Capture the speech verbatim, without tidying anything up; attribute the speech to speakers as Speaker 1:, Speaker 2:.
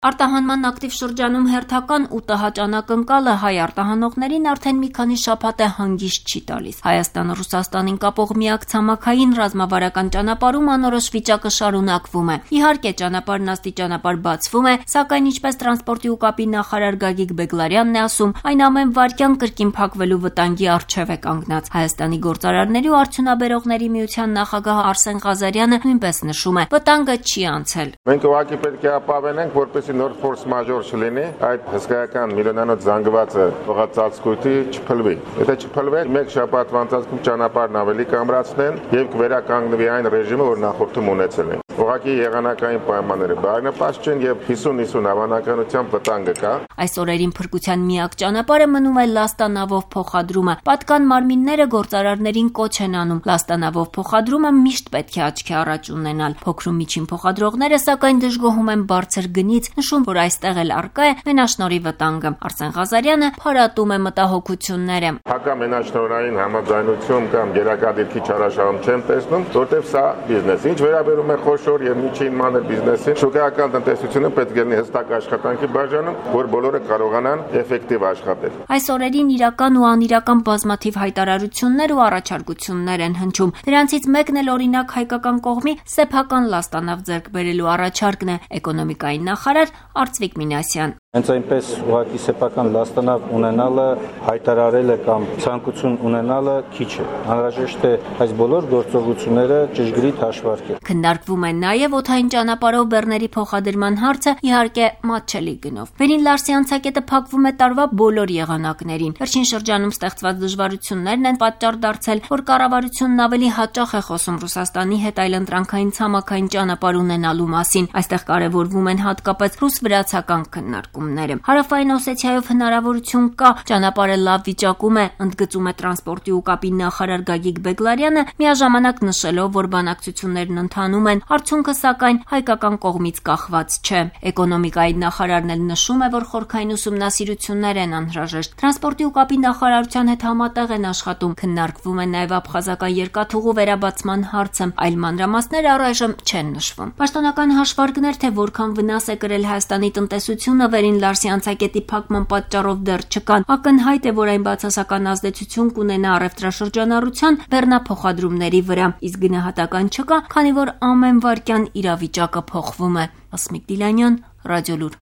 Speaker 1: Արտահանման ակտիվ շրջանում հերթական ու ՏՀ ճանակընկալը հայ արտահանողներին արդեն մի քանի շաբաթ է հանգիստ չի տալիս։ Հայաստանը Ռուսաստանին կապող միակ ցամաքային ռազմավարական ճանապարհում անորոշ վիճակը շարունակվում է։ Իհարկե, ճանապարհն աստիճանաբար բացվում է, սակայն ինչպես տրանսպորտի ու կապի նախարար Գագիկ Բեգլարյանն է ասում, այն ամեն վայրկյան կրկին փակվելու վտանգի առջև է կանգնած։ Հայաստանի գործարարների ու արդյունաբերողների միության նախագահ Արսեն Ղազարյանը նույնպես նշում է, վտանգը չի անցել։
Speaker 2: Մենք ուղղակի պետք է ապավենենք, որպեսզի նոր ֆորս մաժոր չլինի, այդ հսկայական միլիոնանոց զանգվածը փողացածկույթի չփլվի։ Եթե չփլվի, մեկ շաբաթվա ընթացքում ճանապարհն ավելի կամրացնեն եւ կվերականգնվի այն ռեժիմը, որ նախորդում ունեցել են։ Ուղղակի եղանակային պայմանները բարենպաստ չեն եւ հիսուն հիսուն հավանականությամբ վտանգը կա։
Speaker 1: Այս օրերին փրկության միակ ճանապարհը մնում է լաստանավով փոխադրումը։ Պատկան մարմինները գործարարներին կոչ են անում։ Լաստանավով փոխադրումը միշտ պետք է աչքի առաջ ունենալ։ Փոքր ու միջին փոխադրողները սակայն դժգոհում են բարձր գնից, նշում, որ այստեղ էլ առկա է մենաշնորհի վտանգը։ Արսեն Ղազարյանը փարատում է մտահոգությունները։
Speaker 2: Հակա մենաշնորհային համաձայնություն կամ գերակադիրքի չարաշահում չեմ տեսնում, որտեղ սա բիզնես։ Ինչ վերաբերում է խոշոր եւ միջին մանր բիզնեսին, շուկայական տնտեսությունը պետք է լինի հստակ աշխատանքի բաժանում, որ բոլորը կարողանան էֆեկտիվ աշխատել։
Speaker 1: Այս օրերին իրական ու անիրական բազմաթիվ հայտարարություններ ու առաջարկություններ են հնչում։ Դրանցից մեկն էլ օրինակ հայկական կողմի սեփական լաստանավ ձեռք բերելու առաջարկն է։ Էկոնոմիկայի նախարար Արծվիկ Մինասյան։
Speaker 3: Հենց այնպես ուղղակի սեփական լաստանավ ունենալը, հայտարարելը կամ ցանկություն ունենալը քիչ է։ Անհրաժեշտ է այս բոլոր գործողությունները ճշգրիտ հաշվարկել։
Speaker 1: Քննարկվում է նաև օդային ճանապարհով բեռների փոխադրման հարցը, իհարկե մատչելի գնով։ Վերին Լարսի անցակետը փակվում է տարվա բոլոր եղանակներին։ Վերջին շրջանում ստեղծված դժվարություններն են պատճառ դարձել, որ կառավարությունն ավելի հաճախ է խոսում Ռուսաստանի հետ այլընտրանքային ցամաքային ճանապարհ ունենալու մասին։ Այստեղ կարևորվում են հատկապես ռուս-վրացական քննարկումները։ Հարավային Օսեթիայով հնարավորություն կա, ճանապարհը լավ վիճակում է, ընդգծում է տրանսպորտի ու կապի նախարար Գագիկ Բեգլարյանը, միաժամանակ նշելով, որ բանակցություններն ընթանում են, արդյունքը սակայն հայկական կողմից կախված չէ։ Էկոնոմիկայի նախարարն էլ նշում է, որ խորքային ուսումնասիրություններ են անհրաժեշտ։ Տրանսպորտի ու կապի նախարարության հետ համատեղ են աշխատում, քննարկվում է նաև աբխազական երկաթուղու վերաբացման հարցը, այլ մանրամասներ առայժմ չեն նշվում։ Պաշտոնական հաշվարկներ, թե որքան վնաս է կրել Հայաստանի տնտեսությունը Վերին Լարսի անցակետի փակման պատճառով դեռ չկան։ Ակնհայտ է, որ այն բացասական ազդեցություն կունենա առևտրաշրջանառության բեռնափոխադրումների վրա, իսկ գնահատական չկա, քանի որ ամեն վայրկյան իրավիճակը փոխվում է։ Ասմիկ Դիլանյան, Ռադիոլուր։